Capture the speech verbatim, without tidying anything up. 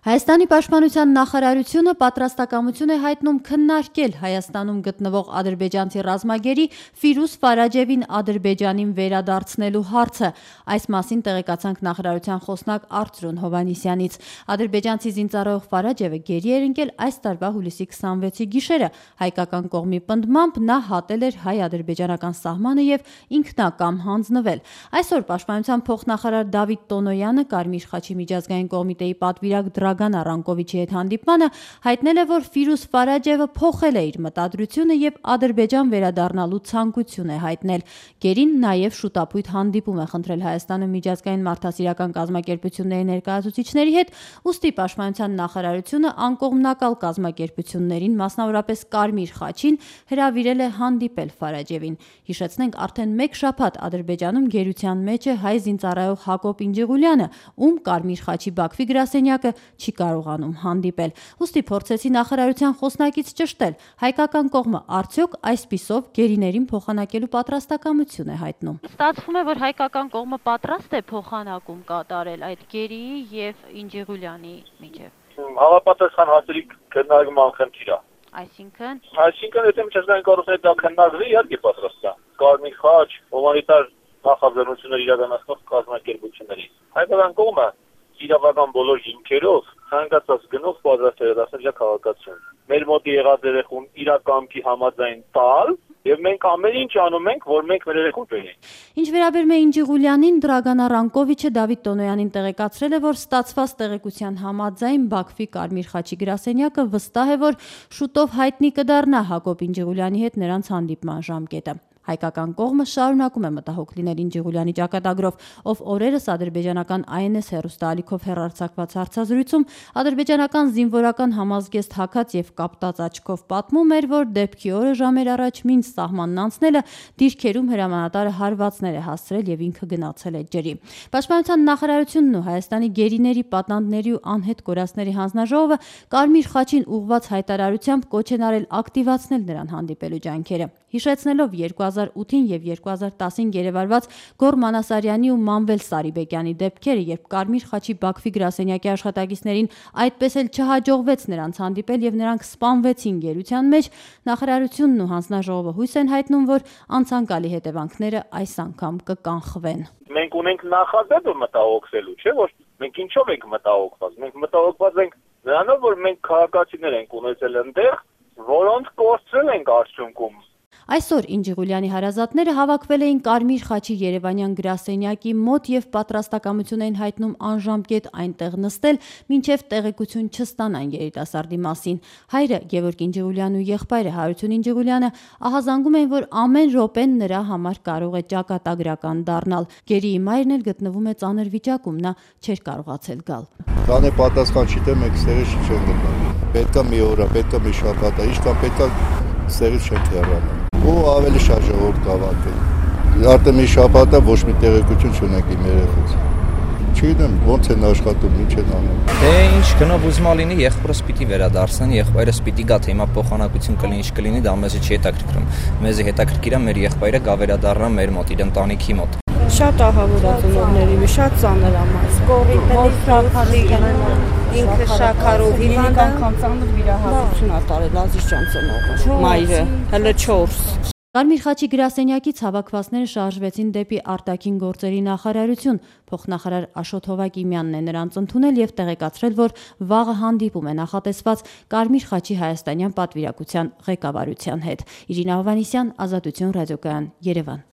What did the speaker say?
Հայաստանի պաշտպանության նախարարությունը պատրաստակամություն է հայտնում քննարկել Հայաստանում գտնվող ադրբեջանցի ռազմագերի Ֆիրուզ Ֆարաջևին Ադրբեջանին վերադարձնելու հարցը։ Այս մասին տեղեկացանք նախարարության խոսնակ Արծրուն Հովհաննիսյանից։ Ադրբեջանցի զինծառայող Ֆարաջևը գերի էր ընկել այս տարվա հուլիսի քսանվեցի գիշերը։ Հայկական կողմի պնդմամբ նա հատել էր հայ-ադրբեջանական սահմանը եւ ինքնակամ հանձնվել։ Այսօր պաշտպանության փոխնախարար Դավիթ Տոնոյանը Կարմիր խաչի միջազգային կոմիտեի պատվիրակ Դրագան Առանկովիչի հետ հանդիպմանը հայտնել է, որ Ֆիրուզ Ֆարաջևը փոխել է իր մտադրությունը եւ Ադրբեջան վերադառնալու ցանկություն է հայտնել։ Գերին նաեւ շուտապույտ հանդիպում է խնդրել Հայաստանում միջազգային մարդասիրական կազմակերպությունների ներկայացուցիչների հետ, ուստի պաշտպանության նախարարությունը անկողմնակալ կազմակերպություններին, մասնավորապես Կարմիր խաչին, հրավիրել է հանդիպել Ֆարաջևին։ Հիշեցնենք, արդեն մեկ շաբաթ Ադրբեջանում գերության մեջ է հայ զինծառայող Հակոբ Ինջիղուլյանը, ում Կարմիր խաչի Բաքվի գրասենյակը չի կարողանում հանդիպել։ Ուստի փորձեցի նախարարության խոսնակից ճշտել, հայկական կողմը արդյոք այսպիսով գերիներին փոխանակելու պատրաստակամություն է հայտնում։ Ստացվում է, որ հայկական կողմը պատրաստ է փոխանակում կատարել այդ գերիի եւ Ինջիղուլյանի միջեւ։ Համապատասխան հարցերի քննարկման խնդիր է։ Այսինքն, այսինքն եթե միջազգային կառույցները դա քննարկվի, իհարկե պատրաստ է։ Կարմիր խաչ, հումանիտար նախաձեռնություններ իրականացնող կազմակերպությունների։ Հայկական կողմը իրավական բոլոր հիմքերով ցանկացած գնով պատրաստ է դարձնել իր քաղաքացիություն։ Մեր մոտ եղած երեխուն իրականքի համաձայն տալ, եւ մենք ամեն ինչ անում ենք, որ մենք մեր երեխուն բերենք։ Ինչ վերաբերում է Ինջիղուլյանին, Դրագան Առանկովիչը Դավիթ Տոնոյանին տեղեկացրել է, որ ստացված տեղեկության համաձայն Բաքվի Կարմիր խաչի գրասենյակը վստահ է, որ շուտով հայտնի կդառնա Հակոբ Ինջիղուլյանի հետ նրանց հանդիպման ժամկետը։ Հայկական կողմը շարունակում է մտահոգ լինել Ինջիղուլյանի ճակատագրով, ով օրերս ադրբեջանական Այ Էն Էս հեռուստաալիքով հեռարձակված հարցազրույցում ադրբեջանական զինվորական համազգեստ հագած եւ կապտած աչքով պատմում էր, որ դեպքի օրը ժամեր առաջ մինչ սահմանն անցնելը դիրքերում հրամանատարը հարվածներ է հասցրել եւ ինքը գնացել է ջրի։ Պաշտպանության նախարարությունն ու Հայաստանի գերիների, պատանդների ու անհետ կորածների հանձնաժողովը Կարմիր խաչին ուղղված հայտարարությամբ կոչ են արել ակտիվացնել նրան հանդիպելու ջանքերը։ Հիշեցնելով երկու հազար ութին եւ երկու հազար տասին գերեվարված Գոռ Մանասարյանի ու Մանվել Սարիբեկյանի դեպքերը, երբ Կարմիր խաչի Բաքվի գրասենյակի աշխատակիցներին այդպես էլ չհաջողվեց նրանց հանդիպել եւ նրանք սպանվեցին գերության մեջ, նախարարությունն ու հանձնաժողովը հույս են հայտնում, որ անցանկալի հետևանքները այս անգամ կկանխվեն։ Մենք ունենք նախադեպը մտահոգվելու, չէ՞ որ մենք ինչով ենք մտահոգված։ Մենք մտահոգված ենք նրանով, որ մենք քաղաքացիներ ենք ունեցել այնտեղ, որոնց կորցրել ենք արդյունքում։ Այսօր Ինջիղուլյանի հարազատները հավաքվել էին Կարմիր խաչի երևանյան գրասենյակի մոտ եւ պատրաստակամություն էին հայտնում անժամկետ այնտեղ նստել, մինչեւ տեղեկություն չստանան երիտասարդի մասին։ Հայրը Գևորգ Ինջիղուլյանն ու եղբայրը Հարություն Ինջիղուլյանը ահազանգում են, որ ամեն րոպեն նրա համար կարող է ճակատագրական դառնալ։ Գերիի մայրն էլ գտնվում է ծանր վիճակում, նա չէր կարողացել գալ։ Կանե պատասխան չի, թե մենք ստերից չենք գտնվում։ Պետքա մի օր, պետքա մի շաբաթ, ինչքան պետքա ստերից չենք հեռանալ։ Ու ավելի շատ ժողովուրդ կհավաքվի։ Արդեն մի շաբաթ է ոչ մի տեղեկություն չունենք իմ երեխուց։ Չգիտեմ ոնց են աշխատում, ինչ են անում։ Դե ինչ գնով ուզմա լինի, եղբորս պիտի վերադարձնեն, եղբայրս պիտի գա, թե հիմա փոխանակություն կլինի, ինչ կլինի, դա մեզ չի հետաքրքրում։ Մեզ հետաքրքիր է մեր եղբայրը գա վերադառնա մեր մոտ, իր ընտանիքի մոտ։ Շատ ահավոր է ծնողների, շատ ծանր է մաս։ Կորի ինքը շաքարով հիվանդ անգամ ծանր վիրահատություն ա տարել Ազիզյան ծնողը, մայրը, հələ չորս։ Կարմիր խաչի գրասենյակից հավաքվածները շարժվեցին դեպի արտաքին գործերի նախարարություն։ Փոխնախարար Աշոտ Հովակիմյանն է նրանց ընդունել եւ տեղեկացրել, որ վաղը հանդիպում է նախատեսված Կարմիր խաչի հայաստանյան պատվիրակության ղեկավարության հետ։ Իրինա Հովհաննիսյան, Ազատություն ռադիոկայան, Երևան։